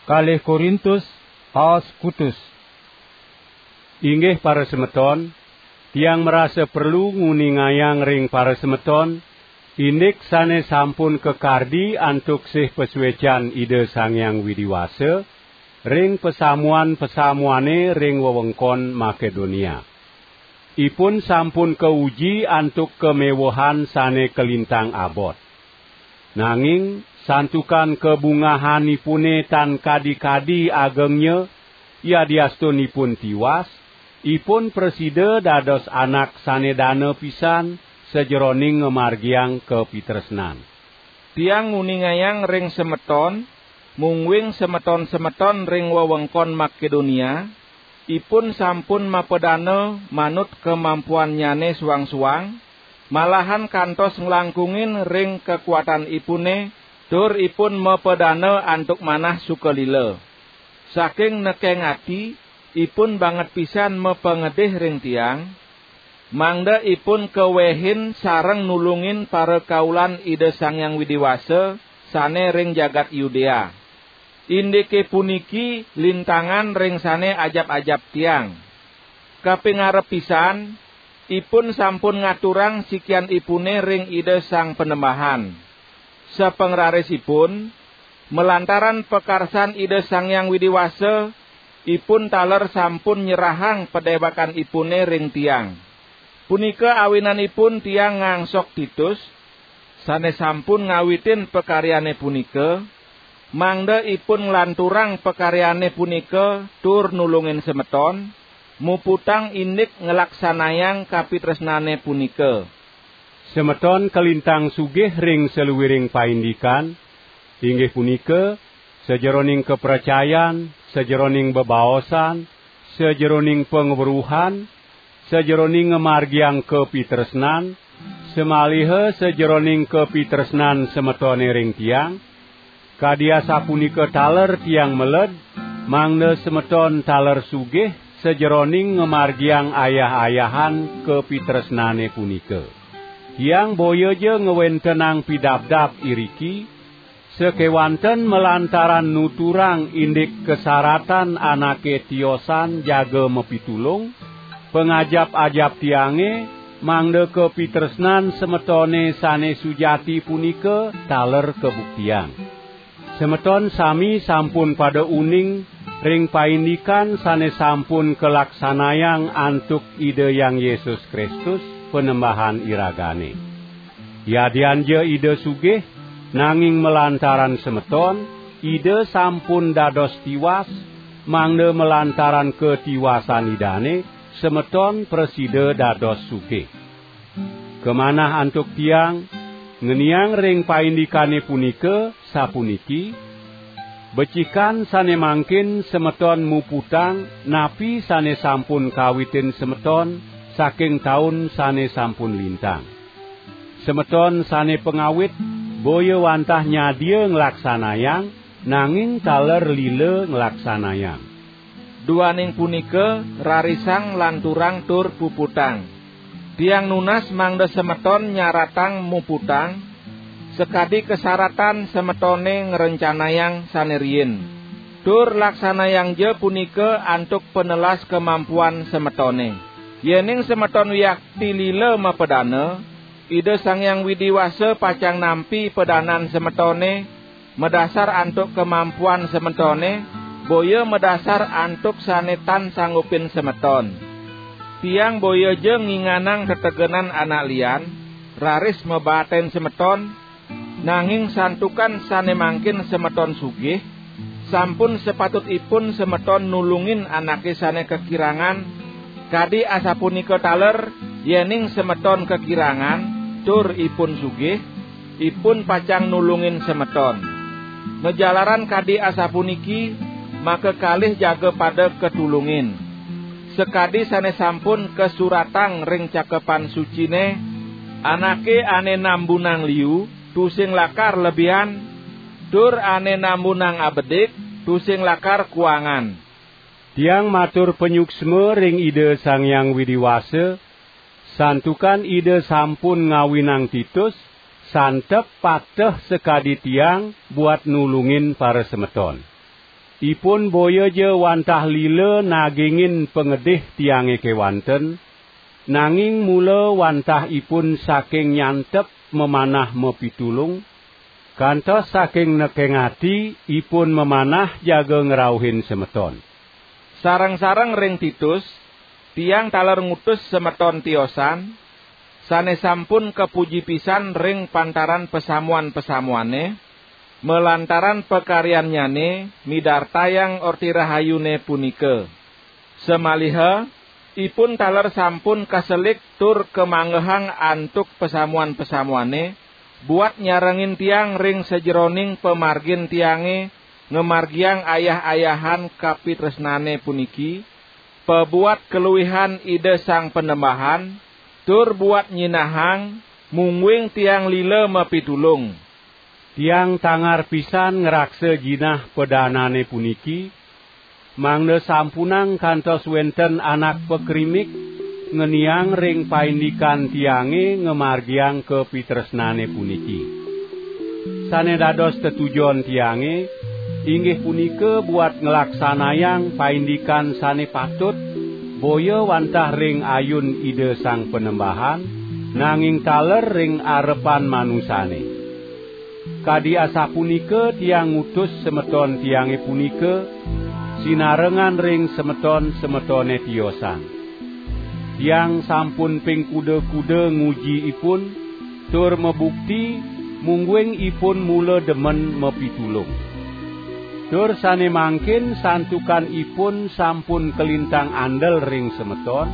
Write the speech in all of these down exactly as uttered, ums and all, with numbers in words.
Kalih Korintus, aos kutus. Inggih para semeton, tiang merasa perlu nguningayang ring para semeton, indik sane sampun kakardi antuk sih pasuecan Ida Sang Hyang Widi Wasa, ring pasamuan-pasamuane ring wewengkon Makedonia. Ipun sampun kauji antuk kamewehan sane kalintang abot. Nanging santukan kabungahanipune tan kadi-kadi agengnya, yadiastun ipun tiwas, ipun prasida dados anak sane dana pisan sajeroning ngamargiang kapitresnan. Tiang nguningayang ring semeton, mungguing semeton-semeton ring wewengkon Makedonia, ipun sampun mapadana manut kamampuannyane suang-suang, malahan kantos nglangkungin ring kakuatanipune, tur ipun mapadana antuk manah sukalila. Saking nekeng ati, ipun banget pisan mapangedih ring tiang, mangda ipun kawehin sareng nulungin parakaulan Ida Sang Hyang Widi Wasa sane ring jagat Yudea. Indike puniki lintangan ring sane ajap-ajap tiang. Kapingarep pisan, ipun sampun ngaturang sikianipune ring Ida Sang Panembahan. Sapangrarisipun, malantaran pakarsan Ida Sang Hyang Widi Wasa, ipun taler sampun nyerahang padewekanipune ring tiang. Punika awinanipun tiang ngangsok Titus, sane sampun ngawitin pakaryane punika, mangda ipun nglanturang pakaryane punika tur nulungin semeton, muputang indik nglaksanayang kapitresnane punika. Semeton kalintang sugih ring saluiring paindikan, inggih punika, sajeroning kapracayan, sajeroning bebaosan, sajeroning pangweruhan, sajeroning ngamargiang kapitresnan, samaliha sajeroning kapitresnan semetone ring tiang, kadi asapunika taler tiang meled, mangda semeton taler sugih sajeroning ngamargiang ayah-ayahan kapitresnane punika. Tiang boya ja ngwentenang pidabdab iriki, sakewanten malantaran nuturang indik kasaratan anake tiosan jaga mapitulung, pangajap-ajap tiange, mangda kapitresnan semetone sane sujati punika taler kabuktiang. Semeton sami sampun pada uning ring paindikan sane sampun kalaksanayang antuk Ida Hyang Yesus Kristus, Panembahan iragane. Yadian ja Ida sugih, nanging malantaran semeton, Ida sampun dados tiwas, mangda malantaran katiwasan Idane, semeton prasida dados sugih. Kamanah antuk tiang, ngeniang ring paindikane punika sapuniki: becikan sane mangkin semeton muputang napi sane sampun kawitin semeton saking taun sane sampun lintang. Semeton sane pangawit boya wantah nyadia nglaksanayang, nanging taler lila nglaksanayang. Duaning punika, rarisang lanturang tur puputang. Tiang nunas mangda semeton nyaratang muputang, sakadi kasaratan semetone ngrencanayang sane riin. Tur laksanayang ja punika antuk panelas kamampuan semetone. Yening semeton wiakti lila mapadana, Ida Sang Hyang Widi Wasa pacang nampi padanan semetone, madasar antuk kamampuan semetone, boya madasar antuk sane tan sanggupin semeton. Tiang boya ja nginganang tetegenan anak lian, raris mabaten semeton, nanging santukan sane mangkin semeton sugih, sampun sapatutipun semeton nulungin anake sane kakirangan, kadi asapunika taler, yening semeton kakirangan, tur ipun sugih, ipun pacang nulungin semeton. Majalaran kadi asapuniki, makakalih jaga pada katulungin. Sakadi sane sampun kasuratang ring Cakepan Sucine, anake ane nambunang liu, tusing lakar lebihan, tur ane nambunang abedik, tusing lakar kuangan. Tiang matur panyuksma ring Ida Sang Hyang Widi Wasa, santukan Ida sampun ngawinang Titus, santep pateh sakadi tiang buat nulungin parasemeton. Ipun boya ja wantah lila nagingin pangedih tiange kewanten, nanging mula wantah ipun saking nyantep mamanah mapitulung, kantos saking nekeng ati ipun mamanah jaga ngrauhin semeton. Sareng-sareng ring Titus, tiang taler ngutus semeton tiosan, sane sampun kapuji pisan ring pantaran pasamuan-pasamuane, malantaran pakaryannyane midartayang Orti Rahayune punika. Samaliha ipun taler sampun kaselik tur kamanggehang antuk pasamuan-pasamuane, buat nyarengin tiang ring sajeroning pamargin tiange ngamargiang ayah-ayahan kapitresnane puniki, pabuat kaluihan Ida Sang Panembahan, tur buat nyinahang, mungguing tiang lila mapitulung. Tiang tangar pisan ngraksa jinah padanane puniki, mangda sampunang kantos wenten anak pakrimik ngeniang ring paindikan tiange ngamargiang kapitresnane puniki. Sane dados tetujon tiange, inggih punika buat nglaksanayang paindikan sane patut, boya wantah ring ayun Ida Sang Panembahan, nanging taler ring arepan manusane. Kadi asapunika tiang ngutus semeton tiange punika, sinarengan ring semeton-semetone tiosan. Tiang sampun ping kuda-kuda nguji ipun, tur mabukti, mungguing ipun mula demen mapitulung. Tur sane mangkin santukan ipun sampun kalintang andel ring semeton,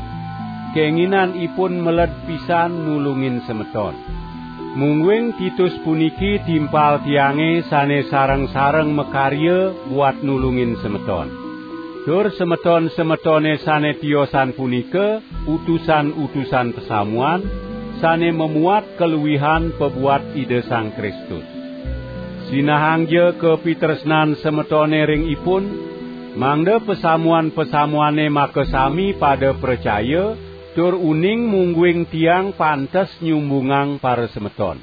kenginan ipun meled pisan nulungin semeton. Mungguing Titus puniki timpal tiange sane sareng-sareng makarya buat nulungin semeton. Tur semeton-semetone sane tiosan punika utusan-utusan pasamuan, sane mamuat kaluihan pabuat Ida Sang Kristus. Sinahangja kapitresnan semetone ring ipun, mangda pasamuan-pasamuane makasami pada pracaya, tur uning mungguing tiang pantes nyumbungang parasemeton.